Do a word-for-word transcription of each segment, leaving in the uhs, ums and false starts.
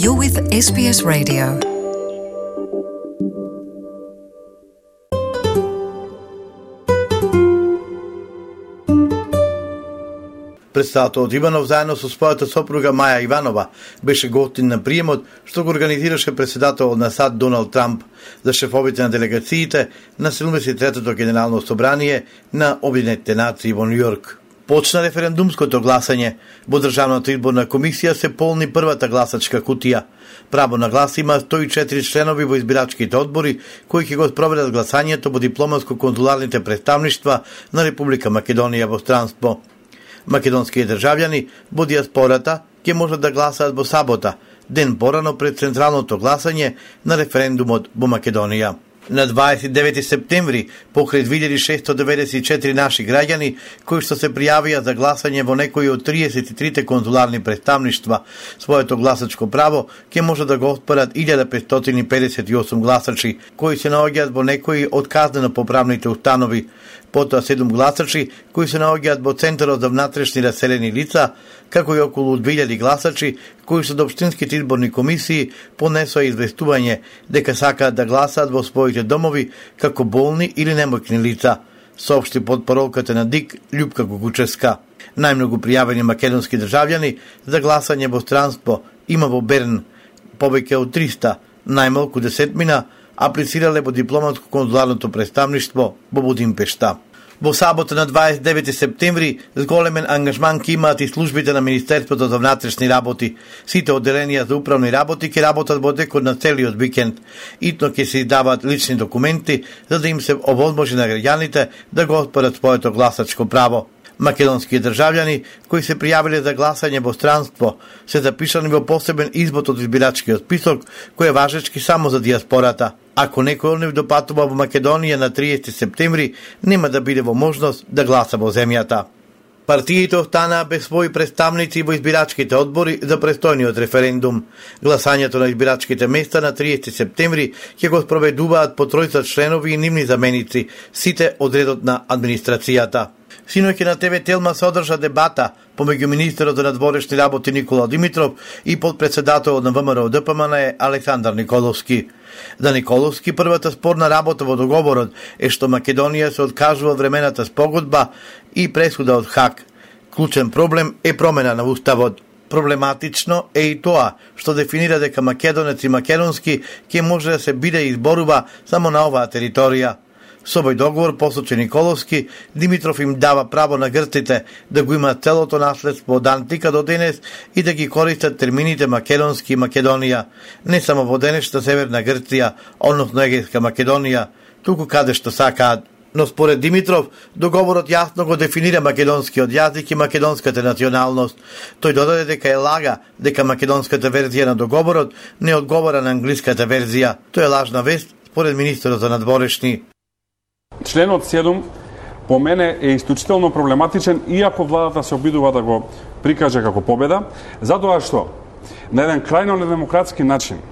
You're with S B S Radio. Председателот Иванов заедно со својата сопруга Маја Иванова беше гостин на приемот што го организираше председателот на САД Доналд Трамп за шефовите на делегациите на седумдесет и третото генерално собрание на Обединетите нации во Њујорк. Почна референдумското гласање. Во Државната изборна комисија се полни првата гласачка кутија. Право на глас има сто и четири членови во избирачките одбори кои ќе го спроведат гласањето во дипломатско-конзуларните представништва на Република Македонија во странство. Македонски државјани во дијаспората ќе можат да гласаат во сабота, ден порано пред централното гласање на референдумот во Македонија. На дваесет и девети септември, покрај две илјади шестоста деветдесет и четири наши граѓани кои што се пријавија за гласање во некои од триесет и трите конзуларни представништва, своето гласачко право ќе може да го оспорат илјада петстотини педесет и осум гласачи кои се наоѓаат во некои од казнено-поправните установи. Потоа седум гласачи кои се наоѓаат во Центарот за внатрешни раселени лица, како и околу две илјади гласачи кои што до општинските изборни комисии понесоа известување дека сакаат да гласаат во своите домови како болни или немоќни лица, соопшти потпоролката на ДИК Љупка Гугучевска. Најмногу пријавени македонски државјани за гласање во странство има во Берн, повеќе од триста, најмалку десетмина, аплицирале во дипломатско-конзуларното представништво во Будимпешта. Во сабота на дваесет и девети септември зголемен ангажман ќе имаат и службите на Министерството за внатрешни работи. Сите одделенија за управни работи ќе работат во текот на целиот викенд. Итно ќе се издаваат лични документи за да им се овозможи на граѓаните да го оспорат своето гласачко право. Македонски државјани кои се пријавиле за гласање во странство се запишани во посебен извод од избирачкиот список кој е важечки само за дијаспората. Ако некој од нив допатува во Македонија на триесети септември, нема да биде во можност да гласа во земјата. Партиите останаа без своји представници во избирачките одбори за престојниот референдум. Гласањето на избирачките места на триесети септември ќе го спроведуваат по тројца членови и нивни заменици, сите од редот на администрацијата. Синоќ на ТВ Телма се одржа дебата помеѓу министерот за надворешни работи Никола Димитров и подпредседателот на ВМРО Д П М Н е Александар Николовски. За Николовски првата спорна работа во договорот е што Македонија се откажува времената спогодба и пресуда од Хаг. Клучен проблем е промена на уставот. Проблематично е и тоа што дефинира дека македонец и македонски ќе може да се биде и изборува само на оваа територија. Со овој договор, посочи Николовски, Димитров им дава право на грците да го имаат целото наследство од антика до денес и да ги користат термините македонски и Македонија, не само во денешната Северна Грција, односно Егејска Македонија, туку каде што сакаат. Но според Димитров, договорот јасно го дефинира македонскиот јазик и македонската националност. Тој додаде дека е лага дека македонската верзија на договорот не одговара на англиската верзија. Тоа е лажна вест, според министерот за надворешни. Членот седум по мене е исклучително проблематичен, иако владата се обидува да го прикаже како победа, затоа што на еден крајно недемократски начин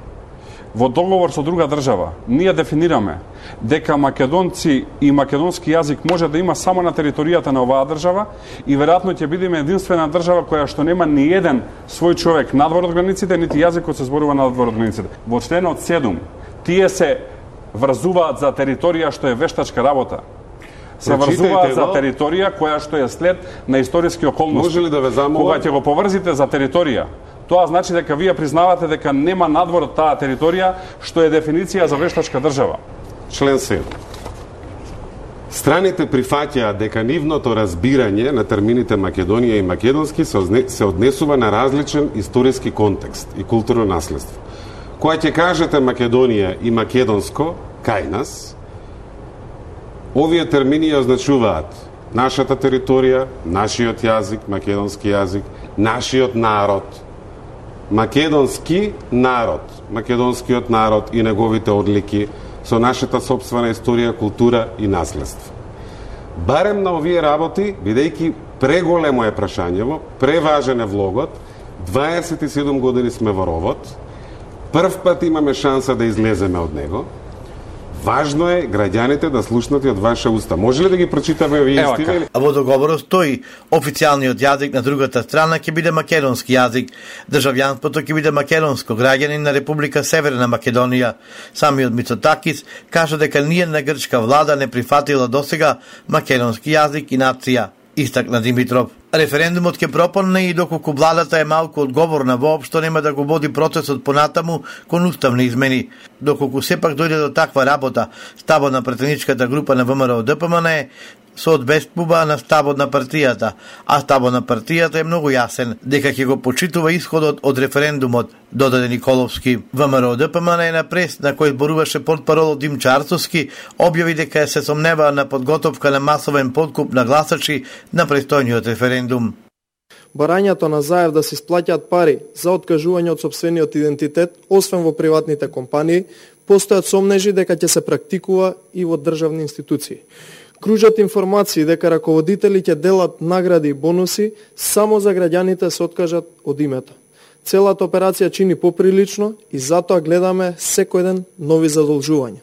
во договор со друга држава ние дефинираме дека македонци и македонски јазик може да има само на територијата на оваа држава и веројатно ќе бидеме единствена држава која што нема ни еден свој човек надвор од границите, нити јазикот се зборува надвор од границите. Во членот седум тие се врзуваат за територија што е вештачка работа. Се врзуваат за територија која што е след на историски околности. Може ли да ве замолам? Кога ќе го поврзите за територија, тоа значи дека вие признавате дека нема надвор од таа територија што е дефиниција за вештачка држава. Член седум. Страните прифаќаат дека нивното разбирање на термините Македонија и македонски се однесува на различен историски контекст и културно наследство. Кога ќе кажете Македонија и македонско, кај нас, овие термини означуваат нашата територија, нашиот јазик, македонски јазик, нашиот народ, македонски народ, македонскиот народ и неговите одлики со нашата сопствена историја, култура и наследство. Барем на овие работи, бидејќи преголемо е прашањево, преважен е влогот, дваесет и седум години сме во ровот, прв пат имаме шанса да излеземе од него, Важно е граѓаните да слушнат и од ваше уста. Може ли да ги прочитаме овие истини? А во договорот стои официјалниот јазик на другата страна ќе биде македонски јазик. Државјанството ќе биде македонско, граѓанин на Република Северна Македонија. Самиот Мицотакис кажа дека ниедна грчка влада не прифатила досега македонски јазик и нација, истакна Димитров. Референдумот ќе пропадне и доколку владата е малку одговорна, воопшто нема да го води процесот понатаму кон уставни измени. Доколку сепак дојде до таква работа, ставот на претеничката група на ВМРО Д П М Н е со одбестпуба на ставот на партијата, а ставот на партијата е многу јасен, дека ќе го почитува исходот од референдумот, додаде Николовски. ВМРО Д П М Н е на прес на кој зборуваше портпаролот Димчо Арцовски, објави дека се сомневаа на подготовка на масовен подкуп на гласачи на престојниот референдум. Барањето на Заев да се исплаќаат пари за откажување од сопствениот идентитет, освен во приватните компании, постојат сомнежи дека ќе се практикува и во државни институции. Кружат информации дека раководители ќе делат награди и бонуси само за граѓаните се откажат од името. Целата операција чини поприлично и затоа гледаме секој ден нови задолжувања.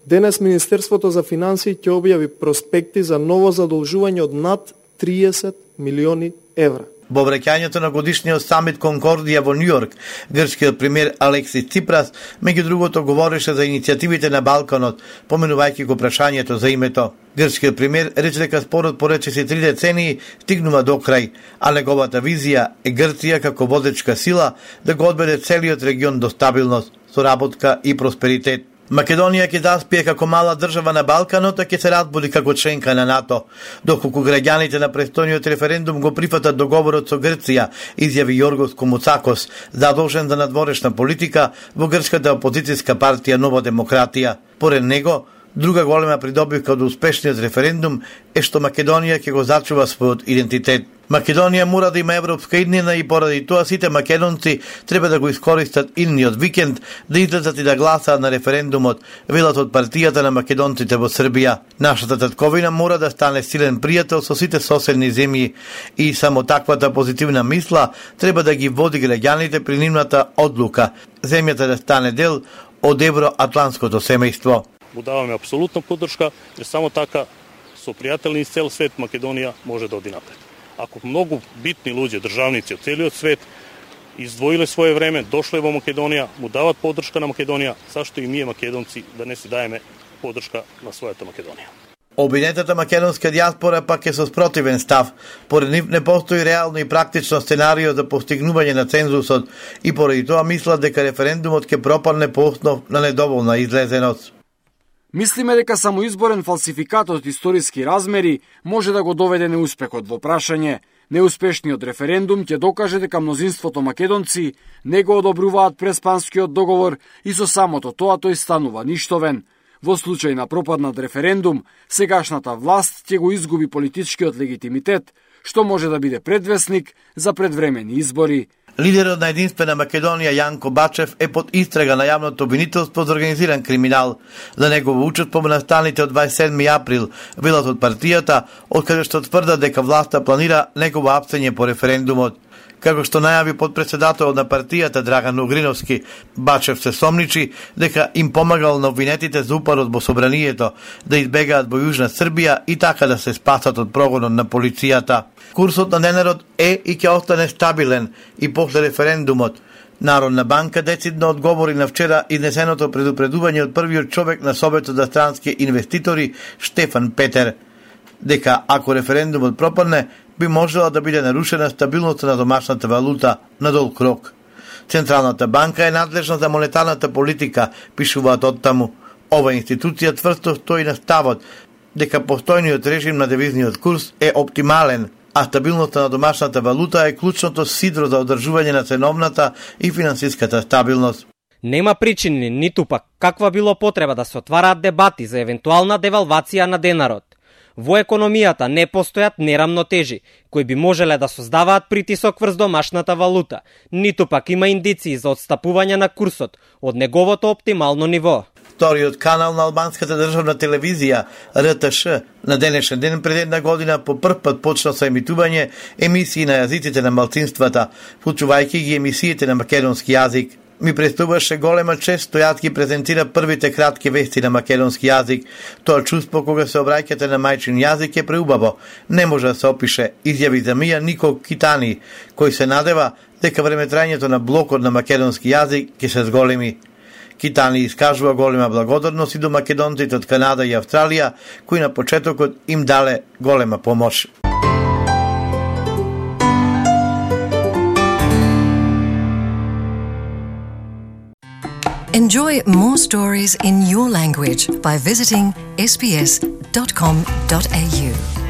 Денес Министерството за финансии ќе објави проспекти за ново задолжување од над триесет милиони евра. Во враќањето на годишниот самит Конкордија во Њујорк, грчкиот премиер Алексис Ципрас, меѓу другото, говореше за иницијативите на Балканот, поменувајќи го прашањето за името. Грчкиот премиер рече дека спорот по речиси три децении стигнува до крај, а неговата визија е Грција како водечка сила да го одведе целиот регион до стабилност, соработка и просперитет. Македонија ќе заспие како мала држава на Балканот, а ќе се разбуди како членка на НАТО. Доколку граѓаните на престојниот референдум го прифатат договорот со Грција, изјави Јоргос Комуцакос, задолжен за надворешна политика во грчката опозицијска партија Нова демократија. Поред него, друга голема придобивка од успешниот референдум е што Македонија ќе го зачува својот идентитет. Македонија мора да има европска иднина и поради тоа сите македонци треба да го искористат идниот викенд да излезат и да гласаат на референдумот, велат од партијата на македонците во Србија. Нашата татковина мора да стане силен пријател со сите соседни земји и само таквата позитивна мисла треба да ги води граѓаните при нивната одлука, земјата да стане дел од евроатлантското семејство. Му даваме апсолутна поддршка, jer само така со пријатели из цел свет Македонија може да оди напред. Ако многу битни луѓе, државници од целиот свет издвоиле своје време, дошле во Македонија, му дават поддршка на Македонија, зашто и ние македонци да не си даеме поддршка на својата Македонија. Обвинетата македонска дијаспора пак е со спротивен став. Поред нив не постои реално и практично сценарио за постигнување на цензусот и поради тоа мислат дека референдумот ќе пропадне по основ на недоволна излезеност. Мислиме дека само изборен фалсификат од историски размери може да го доведе неуспехот во прашање. Неуспешниот референдум ќе докаже дека мнозинството македонци не го одобруваат преспанскиот договор и со самото тоа тој станува ништовен. Во случај на пропаднат референдум, сегашната власт ќе го изгуби политичкиот легитимитет, што може да биде предвесник за предвремени избори. Лидерот на Единствена Македонија Јанко Бачев е под истрага на јавното обвинителство за организиран криминал. За негово учество во настаните од дваесет и седми април, велат од партијата, од каде што тврдат дека власта планира негово апсење по референдумот. Како што најави подпредседателот на партијата Драган Огриновски, Бачев се сомничи дека им помагал на обвинетите за упадот во собранието да избегаат во Јужна Србија и така да се спасат од прогонот на полицијата. Курсот на денарот е и ќе остане стабилен и после референдумот. Народна банка децидно одговори на вчера изнесеното предупредување од првиот човек на Советот за странски инвеститори Штефан Петер, дека ако референдумот пропадне, би можела да биде нарушена стабилноста на домашната валута на долг рок. Централната банка е надлежна за монетарната политика, пишуваат оттаму. Ова институција тврсто стои на ставот дека постојниот режим на девизниот курс е оптимален, а стабилноста на домашната валута е клучното сидро за одржување на ценовната и финансиската стабилност. Нема причини, ниту пак каква било потреба да се отвараат дебати за евентуална девалвација на денарот. Во економијата не постојат нерамнотежи, кои би можеле да создаваат притисок врз домашната валута, ниту пак има индиции за отстапување на курсот од неговото оптимално ниво. Вториот канал на албанската државна телевизија Р Т Ш на денешен ден пред една година по прв пат почна со емитување емисии на јазиците на малцинствата, вклучувајќи ги емисиите на македонски јазик. ми представуваше голема чест тој ги презентира првите кратки вести на македонски јазик. Тоа чувство кога се обраќате на мајчин јазик е преубаво. Не може да се опише, изјави за Мија Никол Китани, кој се надева дека времетрањето на блокот на македонски јазик ќе се зголеми. Китани искажува голема благодарност и до македонците од Канада и Австралија, кои на почетокот им дале голема помош. Enjoy more stories in your language by visiting s b s dot com dot a u.